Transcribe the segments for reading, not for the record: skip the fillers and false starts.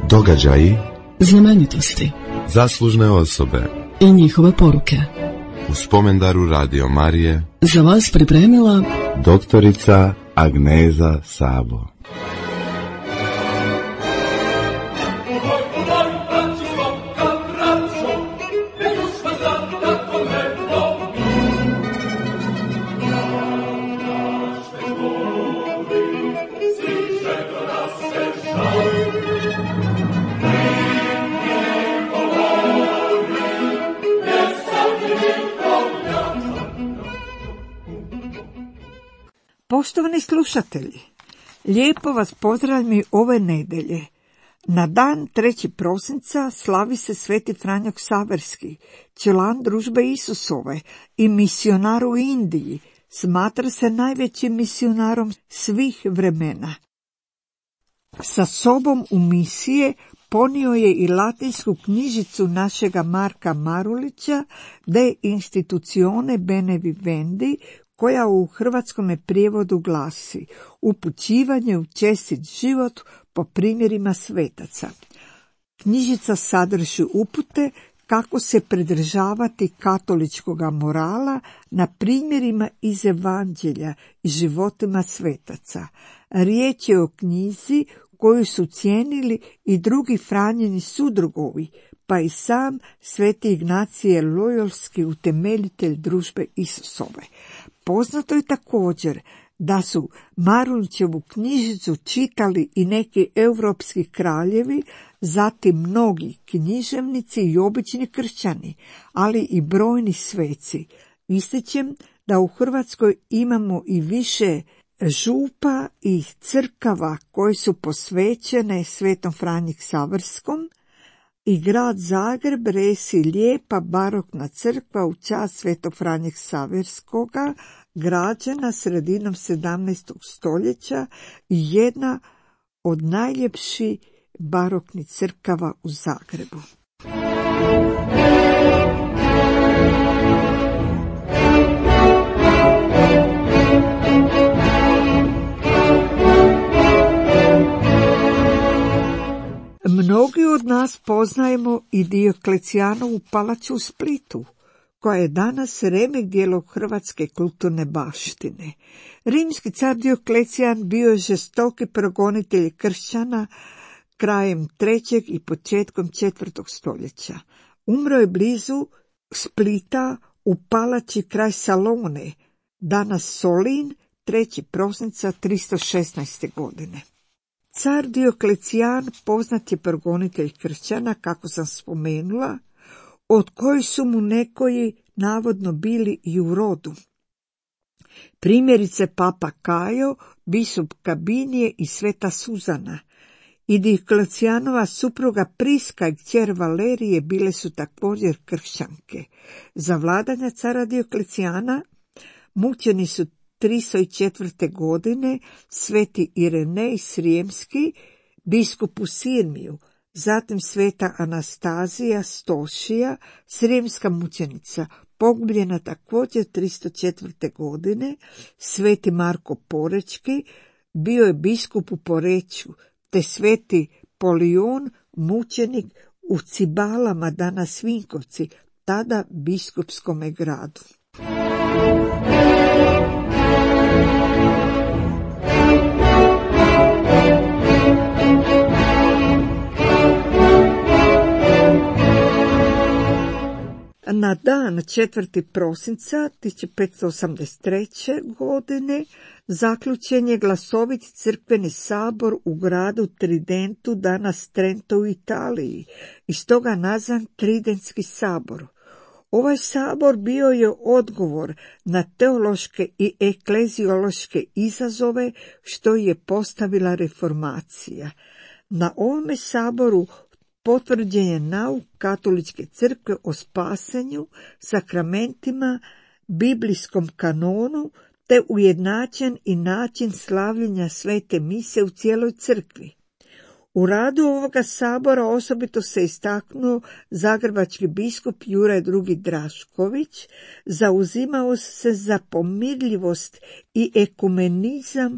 Događaji, znamenitosti, zaslužne osobe i njihove poruke. U spomendaru Radio Marije Za vas pripremila doktorica Agneza Sabo. Poštovani slušatelji, lijepo vas pozdravljam ove nedelje. Na dan 3. prosinca slavi se Sveti Franjo Ksaverski, član Družbe Isusove i misionar u Indiji. Smatra se najvećim misionarom svih vremena. Sa sobom u misije ponio je i latinsku knjižicu našega Marka Marulića De Institutione Bene Vivendi, koja u hrvatskome prijevodu glasi upućivanje u čestit život po primjerima svetaca. Knjižica sadrži upute kako se pridržavati katoličkoga morala na primjerima iz Evanđelja i životima svetaca. Riječ je o knjizi koju su cijenili i drugi Franjini sudrugovi, pa i sam Sveti Ignacije Lojolski, utemeljitelj Družbe Isusove. Poznato je također da su Marulićevu knjižicu čitali i neki europski kraljevi, zatim mnogi književnici i obični kršćani, ali i brojni sveci. Ističem da u Hrvatskoj imamo i više župa i crkava koje su posvećene Svetom Franji Ksaverskom, i grad Zagreb resi lijepa barokna crkva u čast Svetog Franje Ksaverskoga, građena sredinom 17. stoljeća i jedna od najljepših baroknih crkava u Zagrebu. Mnogi od nas poznajemo i Dioklecijanovu palaču u Splitu, koja je danas remek dijelo hrvatske kulturne baštine. Rimski car Dioklecijan bio je žestoki progonitelj kršćana krajem 3. i početkom 4. stoljeća. Umro je blizu Splita u palači kraj Salone, danas Solin, 3. prosinca 316. godine. Car Dioklecijan poznat je progonitelj kršćana, kako sam spomenula, od kojih su mu nekoji navodno bili i u rodu. Primjerice Papa Kajo, biskup Kabinije i Sveta Suzana. I Dioklecijanova supruga Priska i kćer Valerije bile su također kršćanke. Za vladanja cara Dioklecijana mučeni su 304. godine Sveti Irenej Srijemski, biskup u Sirmiju, zatim Sveta Anastazija Stošija, srijemska mučenica, pogubljena također 304. godine, Sveti Marko Porečki, bio je biskup u Poreču, te Sveti Polion, mučenik u Cibalama, danas Vinkovci, tada biskupskome gradu. Na dan 4. prosinca 1583. godine zaključen je glasoviti crkveni sabor u gradu Tridentu, danas Trento u Italiji, i stoga nazvan Tridentski sabor. Ovaj sabor bio je odgovor na teološke i ekleziološke izazove što je postavila reformacija. Na ovome saboru potvrđen je nauk katoličke crkve o spasenju, sakramentima, biblijskom kanonu, te ujednačen i način slavljenja svete mise u cijeloj crkvi. U radu ovoga sabora osobito se istaknuo zagrebački biskup Juraj II. Drašković, zauzimao se za pomirljivost i ekumenizam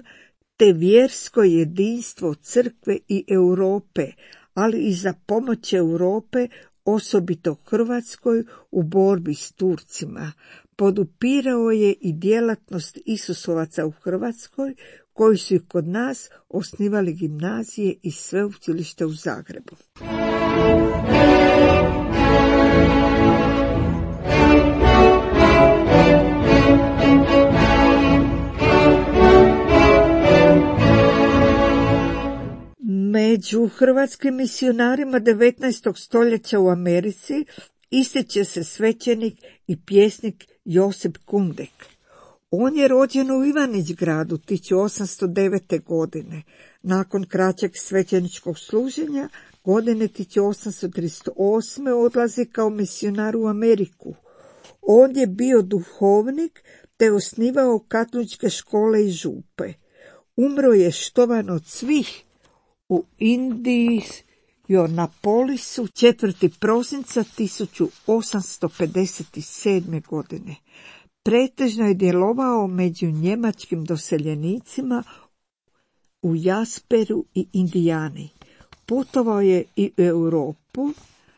te vjersko jedinstvo crkve i Europe, ali i za pomoć Europe, osobito Hrvatskoj, u borbi s Turcima. Podupirao je i djelatnost Isusovaca u Hrvatskoj, koji su i kod nas osnivali gimnazije i sveučilište u Zagrebu. Među hrvatskim misionarima 19. stoljeća u Americi ističe se svećenik i pjesnik Josip Kundek. On je rođen u Ivanić-gradu 1809. godine. Nakon kraćeg svećeničkog služenja, godine 1838. odlazi kao misionar u Ameriku. On je bio duhovnik te osnivao katoličke škole i župe. Umro je štovan od svih u Indianapolisu 4. prosinca 1857. godine. Pretežno je djelovao među njemačkim doseljenicima u Jasperu i Indijani. Putovao je i u Europu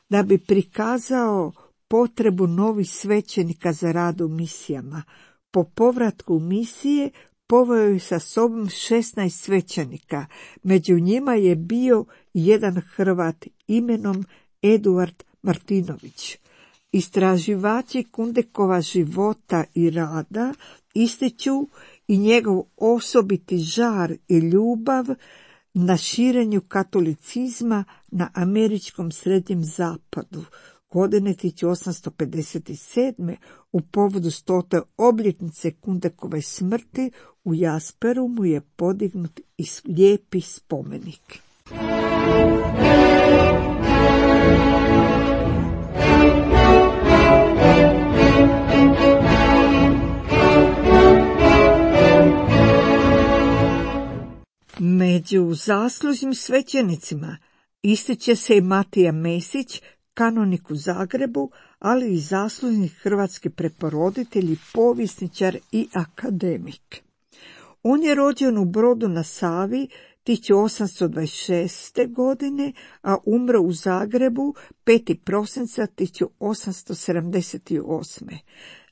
da bi prikazao potrebu novih svećenika za rad u misijama. Po povratku u misije poveo je sa sobom 16 svećenika. Među njima je bio jedan Hrvat imenom Eduard Martinović. Istraživači Kundekova života i rada ističu i njegov osobiti žar i ljubav na širenju katolicizma na američkom srednjem zapadu. Godine 1857. u povodu 100. obljetnice Kundekove smrti u Jasperu mu je podignut i lijepi spomenik. Među zaslužnim svećenicima ističe se i Matija Mesić, kanonik u Zagrebu, ali i zaslužni hrvatski preporoditelj, povjesničar i akademik. On je rođen u Brodu na Savi 1826. godine, a umro u Zagrebu 5. prosinca 1878.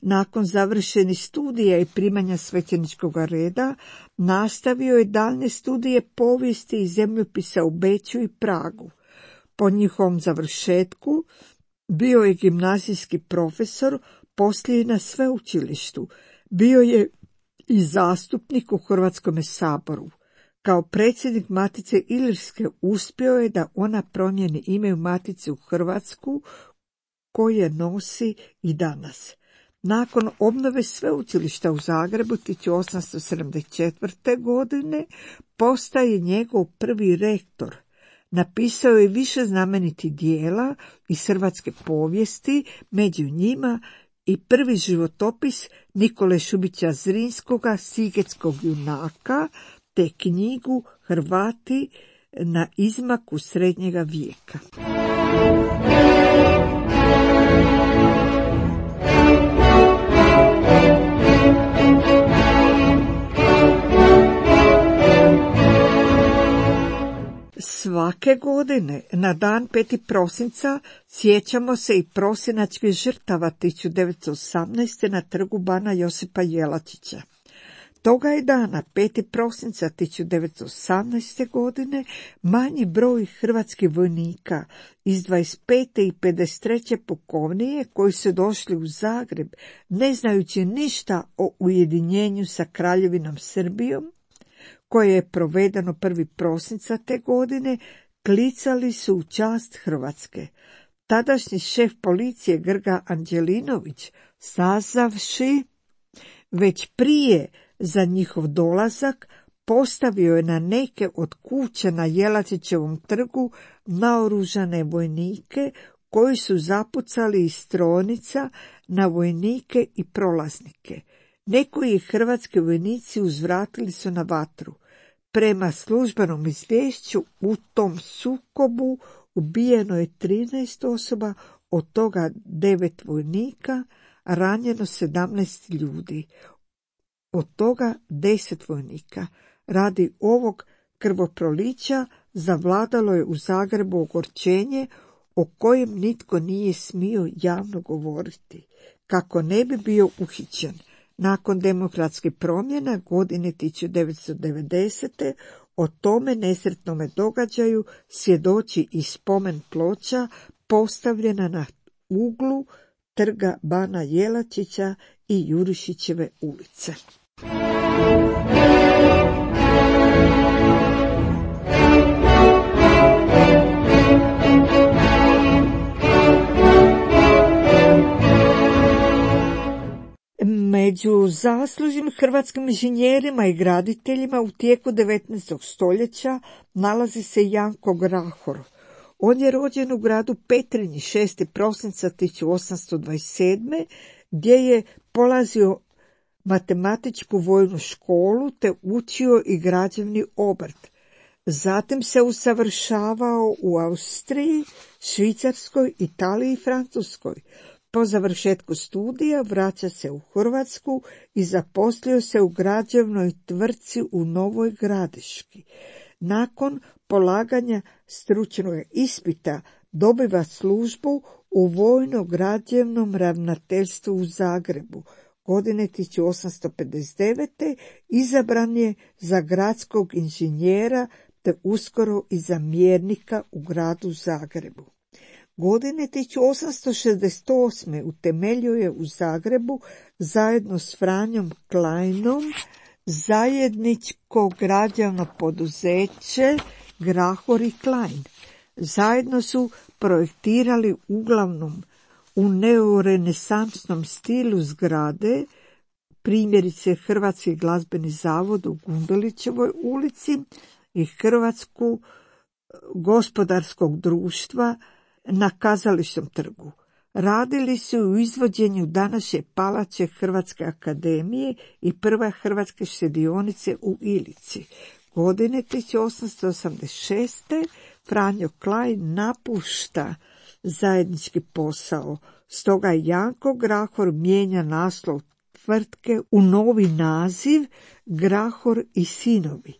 Nakon završenih studija i primanja svećeničkog reda, nastavio je daljnje studije povijesti i zemljopisa u Beču i Pragu. Po njihovom završetku bio je gimnazijski profesor, poslije i na sveučilištu. Bio je i zastupnik u Hrvatskom saboru. Kao predsjednik Matice Ilirske uspio je da ona promijeni ime u Maticu Hrvatsku, koje nosi i danas. Nakon obnove sveučilišta u Zagrebu 1874. godine postaje njegov prvi rektor. Napisao je više znamenitih dijela iz hrvatske povijesti, među njima i prvi životopis Nikole Šubića Zrinskoga, sigetskog junaka, te knjigu Hrvati na izmaku srednjega vijeka. Svake godine na dan 5. prosinca sjećamo se i prosinačkih žrtava 1918. na trgu Bana Josipa Jelačića. Toga je dana 5. prosinca 1918. godine manji broj hrvatskih vojnika iz 25. i 53. pukovnije koji su došli u Zagreb ne znajući ništa o ujedinjenju sa Kraljevinom Srbijom, koje je provedeno 1. prosinca te godine, klicali su u čast Hrvatske. Tadašnji šef policije Grga Anđelinović, saznavši već prije za njihov dolazak, postavio je na neke od kuća na Jelačićevom trgu naoružane vojnike koji su zapucali iz strojnica na vojnike i prolaznike. Nekoji hrvatski vojnici uzvratili su na vatru. Prema službenom izvješću u tom sukobu ubijeno je 13 osoba, od toga 9 vojnika, ranjeno 17 ljudi, od toga 10 vojnika. Radi ovog krvoprolića zavladalo je u Zagrebu ogorčenje o kojem nitko nije smio javno govoriti, kako ne bi bio uhićen. Nakon demokratskih promjena godine 1990. o tome nesretnome događaju svjedoči i spomen ploča postavljena na uglu trga Bana Jelačića i Jurišićeve ulice. Među zaslužnim hrvatskim inženjerima i graditeljima u tijeku 19. stoljeća nalazi se Janko Grahor. On je rođen u gradu Petrinji 6. prosinca 1827. gdje je polazio matematičku vojnu školu te učio i građevni obrt. Zatim se usavršavao u Austriji, Švicarskoj, Italiji i Francuskoj. Po završetku studija vraća se u Hrvatsku i zaposlio se u građevnoj tvrtci u Novoj Gradiški. Nakon polaganja stručnog ispita dobiva službu u vojno-građevnom ravnateljstvu u Zagrebu. Godine 1859. izabran je za gradskog inženjera te uskoro i za mjernika u gradu Zagrebu. Godine 1868. utemeljio je u Zagrebu zajedno s Franjom Kleinom zajedničko građevno poduzeće Grahor i Klein. Zajedno su projektirali uglavnom u neorenesansnom stilu zgrade, primjerice Hrvatski glazbeni zavod u Gundulićevoj ulici i Hrvatsku gospodarskog društva na Kazališnom trgu. Radili su u izvođenju današnje palače Hrvatske akademije i prve hrvatske štedionice u Ilici. Godine 1886. Franjo Klein napušta zajednički posao, stoga Janko Grahor mijenja naslov tvrtke u novi naziv Grahor i sinovi.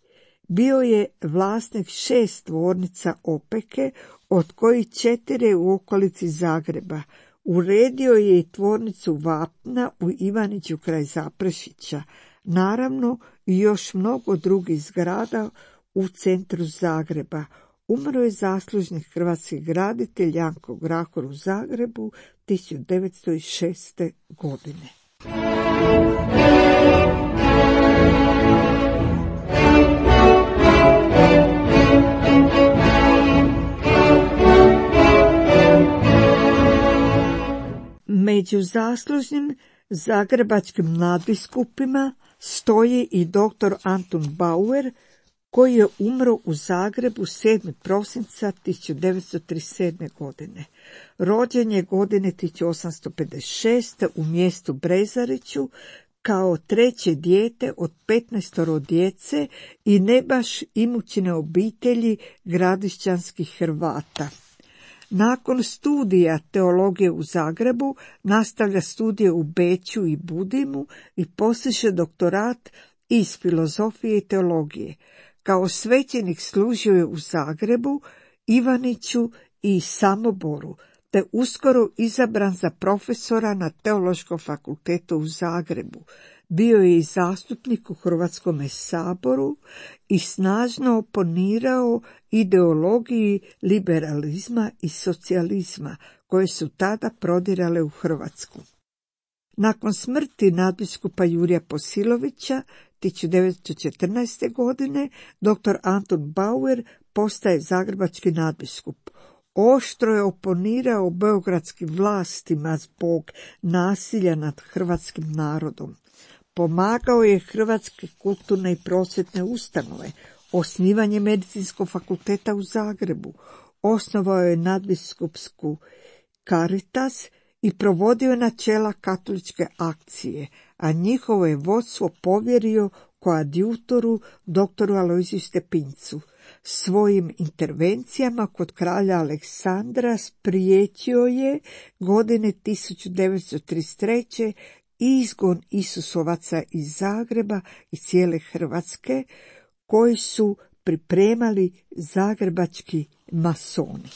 Bio je vlasnik 6 tvornica opeke, od kojih 4 u okolici Zagreba. Uredio je i tvornicu vapna u Ivaniću kraj Zaprešića. Naravno i još mnogo drugih zgrada u centru Zagreba. Umro je zaslužni hrvatski graditelj Janko Grahor u Zagrebu 1906. godine. Među zaslužnim zagrebačkim nadbiskupima stoji i dr. Antun Bauer, koji je umro u Zagrebu 7. prosinca 1937. godine. Rođen je godine 1856. u mjestu Brezariću kao 3. dijete od 15 djece i ne baš imućne obitelji gradišćanskih Hrvata. Nakon studija teologije u Zagrebu nastavlja studije u Beču i Budimu i postiže doktorat iz filozofije i teologije. Kao svećenik služio je u Zagrebu, Ivaniću i Samoboru, te uskoro izabran za profesora na Teološkom fakultetu u Zagrebu. Bio je i zastupnik u Hrvatskom saboru i snažno oponirao ideologiji liberalizma i socijalizma koje su tada prodirale u Hrvatsku. Nakon smrti nadbiskupa Jurija Posilovića 1914. godine dr. Antun Bauer postaje zagrebački nadbiskup. Oštro je oponirao beogradskim vlastima zbog nasilja nad hrvatskim narodom. Pomagao je hrvatske kulturne i prosvjetne ustanove, osnivanje medicinskog fakulteta u Zagrebu, osnovao je nadbiskupsku Caritas i provodio načela katoličke akcije, a njihovo je vodstvo povjerio koadjutoru dr. Alojziju Stepincu. Svojim intervencijama kod kralja Aleksandra spriječio je godine 1933. izgon Isusovaca iz Zagreba i cijele Hrvatske, koji su pripremali zagrebački masoni.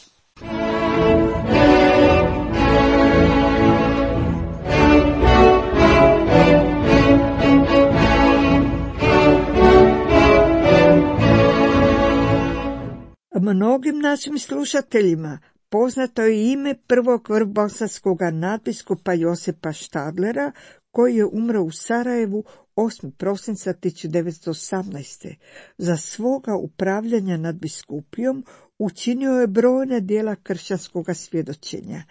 Mnogim našim slušateljima poznato je ime prvog vrbosanskog nadbiskupa Josipa Štadlera, koji je umro u Sarajevu 8. prosinca 1918. Za svoga upravljanja nad biskupijom učinio je brojna djela kršćanskog svjedočenja.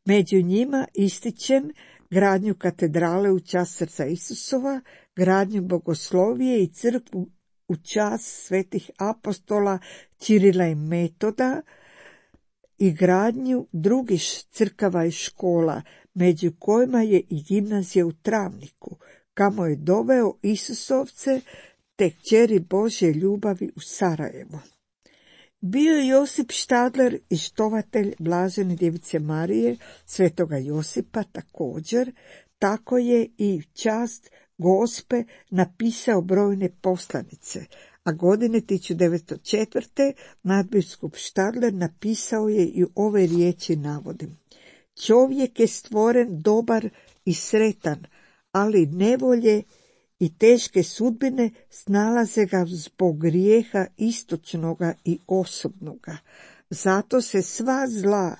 Među njima ističem gradnju katedrale u čast srca Isusova, gradnju bogoslovije i crkvu u čast svetih apostola Čirila i Metoda i gradnju drugih crkava i škola, među kojima je i gimnazija u Travniku, kamo je doveo Isusovce te kćeri Božje ljubavi u Sarajevo. Bio je Josip Štadler i štovatelj Blažene Djevice Marije, svetoga Josipa također, tako je i čast Gospe napisao brojne poslanice, a godine 1904. nadbiskup Štadler napisao je i ove riječi navodim. Čovjek je stvoren dobar i sretan, ali nevolje i teške sudbine snalaze ga zbog grijeha istočnoga i osobnoga. Zato se sva zla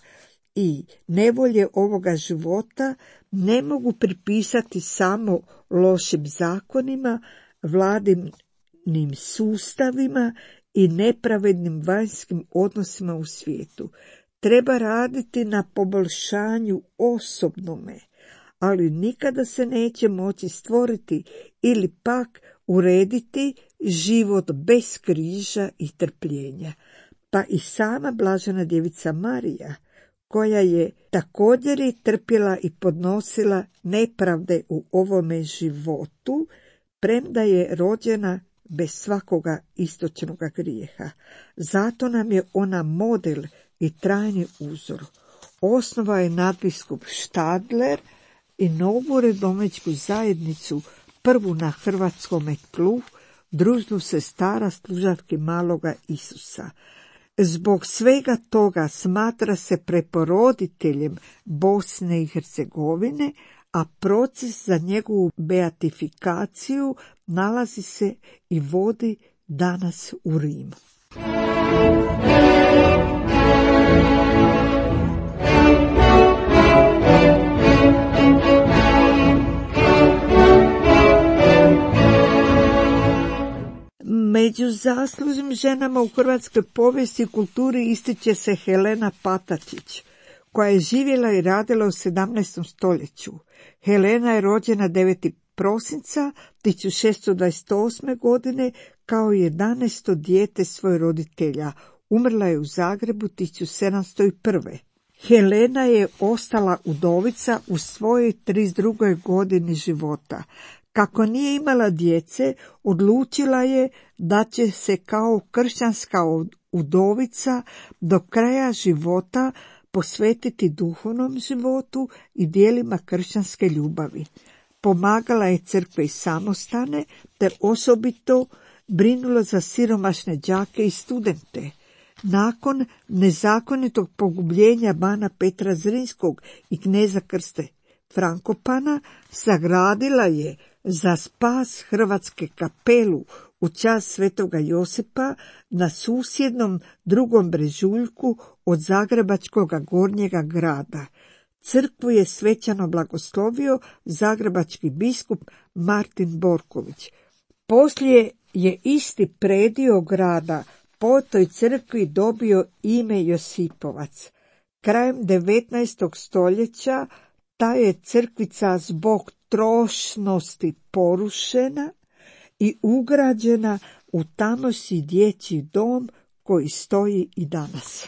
i nevolje ovoga života ne mogu pripisati samo lošim zakonima, vladinim sustavima i nepravednim vanjskim odnosima u svijetu. Treba raditi na poboljšanju osobnome, ali nikada se neće moći stvoriti ili pak urediti život bez križa i trpljenja. Pa i sama Blažena Djevica Marija, koja je također i trpjela i podnosila nepravde u ovome životu, premda je rođena bez svakoga istočnoga grijeha. Zato nam je ona model i trajni uzor. Osnova je nadbiskup Štadler i novu redomičku zajednicu, prvu na hrvatskome tlu, društvu sestara služavki maloga Isusa. Zbog svega toga smatra se preporoditeljem Bosne i Hercegovine, a proces za njegovu beatifikaciju nalazi se i vodi danas u Rimu. Među zaslužnim ženama u hrvatskoj povijesti i kulturi ističe se Helena Patačić, koja je živjela i radila u 17. stoljeću. Helena je rođena 9. prosinca 1628. godine kao 11. dijete svojih roditelja. Umrla je u Zagrebu 1701. Helena je ostala udovica u svojoj 32. godini života. Kako nije imala djece, odlučila je da će se kao kršćanska udovica do kraja života posvetiti duhovnom životu i dijelima kršćanske ljubavi. Pomagala je crkve i samostane, te osobito brinula za siromašne đake i studente. Nakon nezakonitog pogubljenja bana Petra Zrinskog i kneza Krste Frankopana, sagradila je za spas Hrvatske kapelu u čast svetoga Josipa na susjednom drugom brežuljku od Zagrebačkog Gornjega grada. Crkvu je svečano blagoslovio zagrebački biskup Martin Borković. Poslije je isti predio grada po toj crkvi dobio ime Josipovac. Krajem 19. stoljeća ta je crkvica zbog trošnosti porušena i ugrađena u tamošnji dječji dom koji stoji i danas.